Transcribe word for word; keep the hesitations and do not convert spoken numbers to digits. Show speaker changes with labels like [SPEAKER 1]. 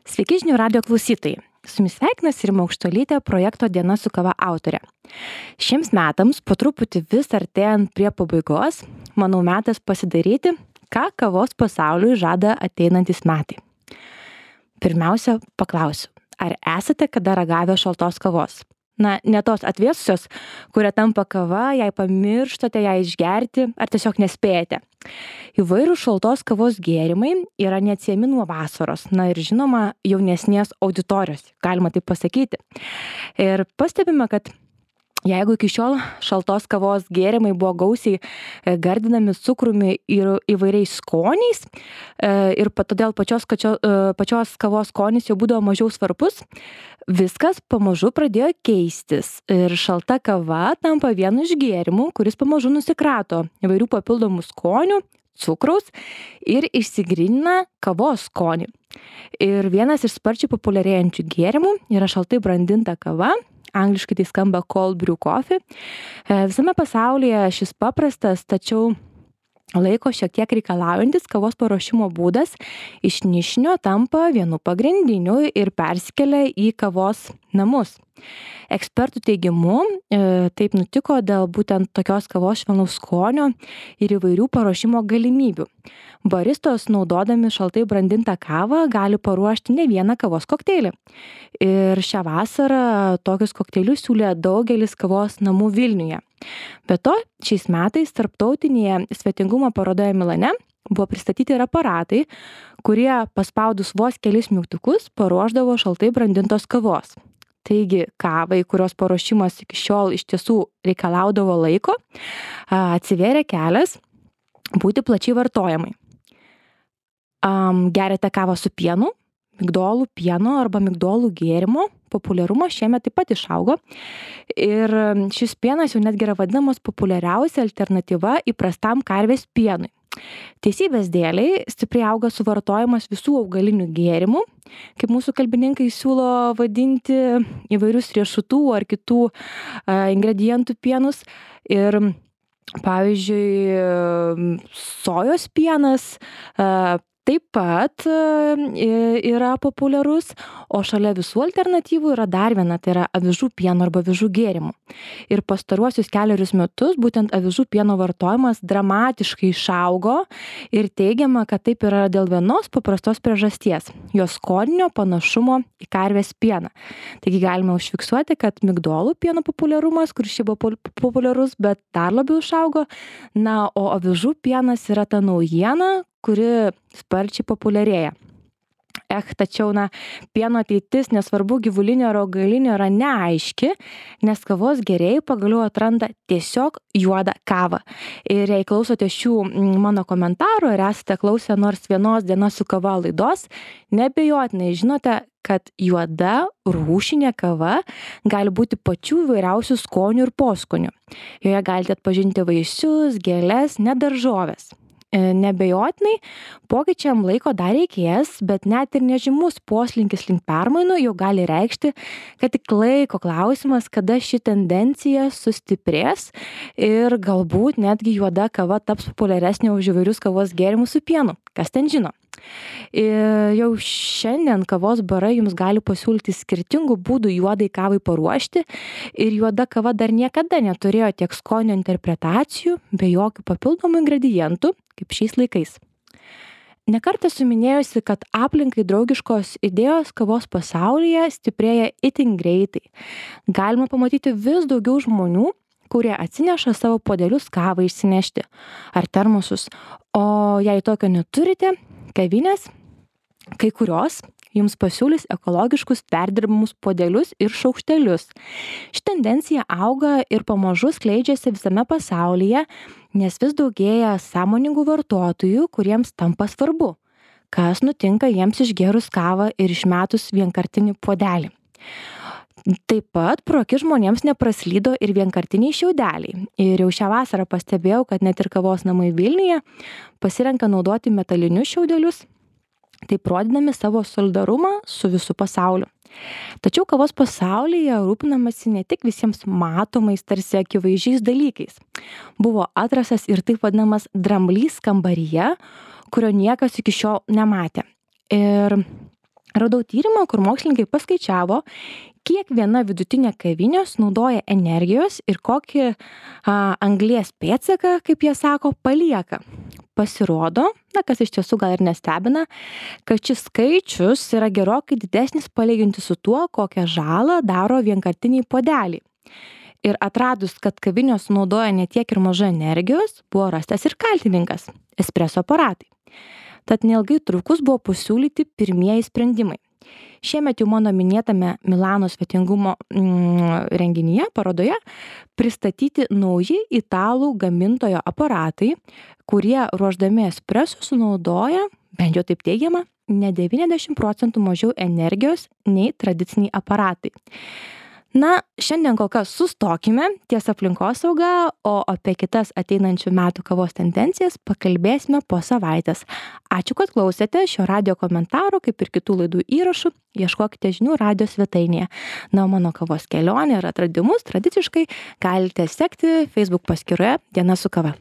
[SPEAKER 1] Sveiki žinių radio klausytojai. Su jumis sveikinasi Rima Aukštuolytė, projekto Diena su kava autorė. Šiems metams, po truputį vis artėjant prie pabaigos, manau metas pasidaryti, ką kavos pasauliui žada ateinantis metai. Pirmiausia, paklausiu, ar esate kada ragavę šaltos kavos? Na, ne tos atvėsusios, kuria tampa kava, jei pamirštate ją išgerti ar tiesiog nespėjate. Įvairūs šaltos kavos gėrimai yra neatsiejami nuo vasaros, na ir žinoma, jaunesnės auditorijos, galima taip pasakyti. Ir pastebime, kad jeigu iki šiol šaltos kavos gėrimai buvo gausiai gardinami cukrumi ir įvairiais skoniais ir todėl pačios, pačios kavos skonis jau būdavo mažiau svarbus, viskas pamažu pradėjo keistis ir šalta kava tampa vienu iš gėrimų, kuris pamažu nusikrato įvairių papildomų skonių, cukraus ir išsigrynina kavos skonį. Ir vienas iš sparčiai populiarėjančių gėrimų yra šaltai brandinta kava, angliškai tai skamba cold brew coffee. Visame pasaulyje šis paprastas, tačiau laiko šiek tiek reikalaujantis kavos paruošimo būdas iš nišinio tampa vienu pagrindiniu ir persikelia į kavos namus. Ekspertų teigimu, taip nutiko dėl būtent tokios kavos švelnaus skonio ir įvairių paruošimo galimybių. Baristos, naudodami šaltai brandintą kavą, gali paruošti ne vieną kavos kokteilį. Ir šią vasarą tokius kokteilius siūlė daugelis kavos namų Vilniuje. Be to, šiais metais tarptautinėje svetingumo parodoje Milane buvo pristatyti ir aparatai, kurie paspaudus vos kelis mygtukus paruošdavo šaltai brandintos kavos. Taigi, kavai, kurios paruošimas iki šiol iš tiesų reikalaudavo laiko, atsivėrė kelias būti plačiai vartojamai. Geriate kavą su pienu, migdolų pieno arba migdolų gėrimo populiarumas šiemet taip pat išaugo. Ir šis pienas jau netgi yra vadinamas populiariausia alternatyva įprastam karvės pienui. Teisybės dėliai stipriai auga suvartojimas visų augalinių gėrimų, kaip mūsų kalbininkai siūlo vadinti įvairius riešutų ar kitų a, ingredientų pienus. Ir pavyzdžiui, sojos pienas a, taip pat yra populiarus, o šalia visų alternatyvų yra dar viena, tai yra avižų pieno arba avižų gėrimų. Ir pastaruosius keliarius metus būtent avižų pieno vartojimas dramatiškai išaugo ir teigiama, kad taip yra dėl vienos paprastos priežasties – jos skoninio panašumo į karvės pieną. Taigi galime užfiksuoti, kad migdolų pieno populiarumas, kuris šiaip buvo populiarus, bet dar labiau išaugo, na, o avižų pienas yra ta naujiena, kuri sparčiai populiarėja. Eh, tačiau, na, pieno ateitis, nesvarbu gyvulinio ar augalinio, yra neaiški, nes kavos gėrėjai pagaliau atranda tiesiog juodą kavą. Ir jei klausote šių mano komentarų ir esate klausę nors vienos Dienos su kava laidos, neabejotinai žinote, kad juoda rūšinė kava gali būti pačių įvairiausių skonių ir poskonių. Joje galite atpažinti vaisius, gėles, net daržoves. Neabejotinai, pokyčiam laiko dar reikės, bet net ir nežymus poslinkis link permainų jau gali reikšti, kad tik laiko klausimas, kada ši tendencija sustiprės ir galbūt netgi juoda kava taps populiaresnė už įvairius kavos gėrimus su pienu. Kas ten žino? Ir jau šiandien kavos barai jums gali pasiūlyti skirtingų būdų juodai kavai paruošti ir juoda kava dar niekada neturėjo tiek skonio interpretacijų be jokių papildomų ingredientų kaip šiais laikais. Nekartą esu minėjusi, kad aplinkai draugiškos idėjos kavos pasaulyje stiprėja itin greitai. Galima pamatyti vis daugiau žmonių, kurie atsineša savo puodelius kavą išsinešti ar termosus, o jei tokio neturite, kavinės, kai kurios jums pasiūlys ekologiškus perdirbamus puodelius ir šaukštelius. Ši tendencija auga ir pamažu skleidžiasi visame pasaulyje, nes vis daugėja sąmoningų vartotojų, kuriems tampa svarbu, kas nutinka jiems išgėrus kavą ir išmetus vienkartinį puodelį. Taip pat pro akis žmonėms nepraslydo ir vienkartiniai šiaudeliai. Ir jau šią vasarą pastebėjau, kad net ir kavos namai Vilniuje pasirenka naudoti metalinius šiaudelius, taip rodydami savo solidarumą su visu pasauliu. Tačiau kavos pasaulyje rūpinamasi ne tik visiems matomais, tarsi akivaizdžiais dalykais. Buvo atrastas ir taip vadinamas dramblys kambaryje, kurio niekas iki šiol nematė. Ir Radau tyrimą, kur mokslininkai paskaičiavo, kiek viena vidutinė kavinė sunaudoja energijos ir kokį a, anglies pėdsaką, kaip jie sako, palieka. Pasirodo, na, kas iš tiesų gal ir nestebina, kad šis skaičius yra gerokai didesnis palyginti su tuo, kokią žalą daro vienkartiniai puodeliai. Ir atradus, kad kavinė sunaudoja ne tiek ir mažai energijos, buvo rastas ir kaltininkas – espreso aparatai. Tad neilgai trukus buvo pasiūlyti pirmieji sprendimai. Šiemet jau mano minėtame Milano svetingumo mm, renginyje, parodoje, pristatyti nauji italų gamintojo aparatai, kurie ruošdami espreso sunaudoja, bent jau taip teigiama, ne devyniasdešimt procentų mažiau energijos nei tradiciniai aparatai. Na, šiandien kol kas sustokime ties aplinkosauga, o apie kitas ateinančių metų kavos tendencijas pakalbėsime po savaitės. Ačiū, kad klausėte šio radijo komentaro, kaip ir kitų laidų įrašų. Ieškokite žinių radijo svetainėje. Na, mano kavos kelionė ir atradimus tradiciškai galite sekti Facebook paskyroje Diena su kava.